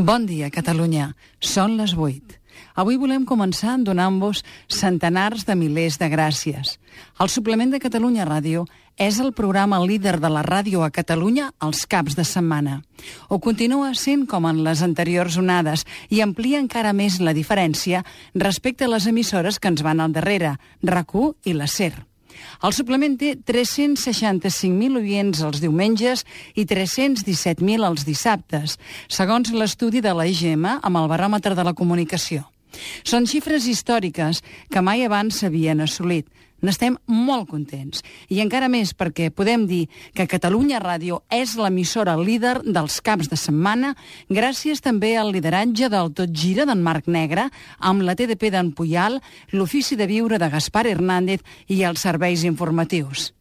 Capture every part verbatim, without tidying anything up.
Bon dia, Catalunya. Són les vuit. Avui volem començar donant-vos centenars de milers de gràcies. El suplement de Catalunya Ràdio és el programa líder de la ràdio a Catalunya els caps de setmana. Ho continua sent com en les anteriors onades i amplia encara més la diferència respecte a les emissores que ens van al darrere, RAC u i la SER. El suplement té tres-cents seixanta-cinc mil oients els diumenges i tres-cents disset mil els dissabtes, segons l'estudi de la I G M amb el baròmetre de la comunicació. Són xifres històriques que mai abans s'havien assolit. N'estem molt contents. I encara més perquè podem dir que Catalunya Ràdio és l'emissora líder dels caps de setmana, gràcies també al lideratge del Tot Gira d'en Marc Negre, amb la T D P d'en Puyal, l'Ofici de Viure de Gaspar Hernández i els serveis informatius.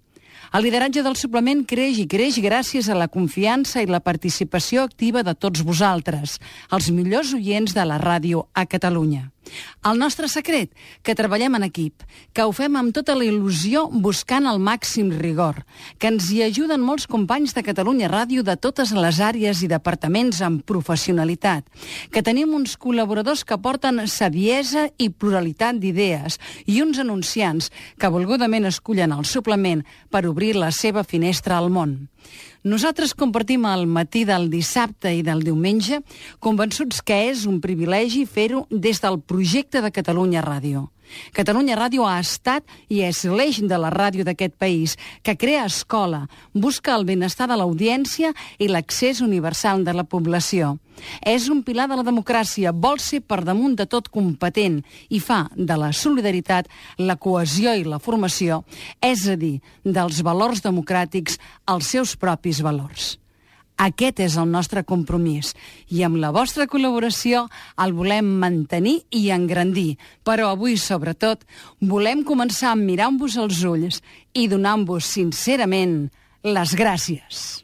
El lideratge del suplement creix i creix gràcies a la confiança i la participació activa de tots vosaltres, els millors oients de la ràdio a Catalunya. El nostre secret, que treballem en equip, que ho fem amb tota la il·lusió buscant el màxim rigor, que ens hi ajuden molts companys de Catalunya Ràdio de totes les àrees i departaments amb professionalitat, que tenim uns col·laboradors que porten saviesa i pluralitat d'idees i uns anunciants que volgudament escullen el suplement per obrir la seva finestra al món. Nosaltres compartim el matí del dissabte i del diumenge, convençuts que és un privilegi fer-ho des del projecte de Catalunya Ràdio. Catalunya Ràdio ha estat i és l'eix de la ràdio d'aquest país, que crea escola, busca el benestar de l'audiència i l'accés universal de la població. És un pilar de la democràcia, vol ser per damunt de tot competent i fa de la solidaritat, la cohesió i la formació, és a dir, dels valors democràtics els seus propis valors. Aquest és el nostre compromís i amb la vostra col·laboració el volem mantenir i engrandir. Però avui, sobretot, volem començar mirant-vos als ulls i donant-vos sincerament les gràcies.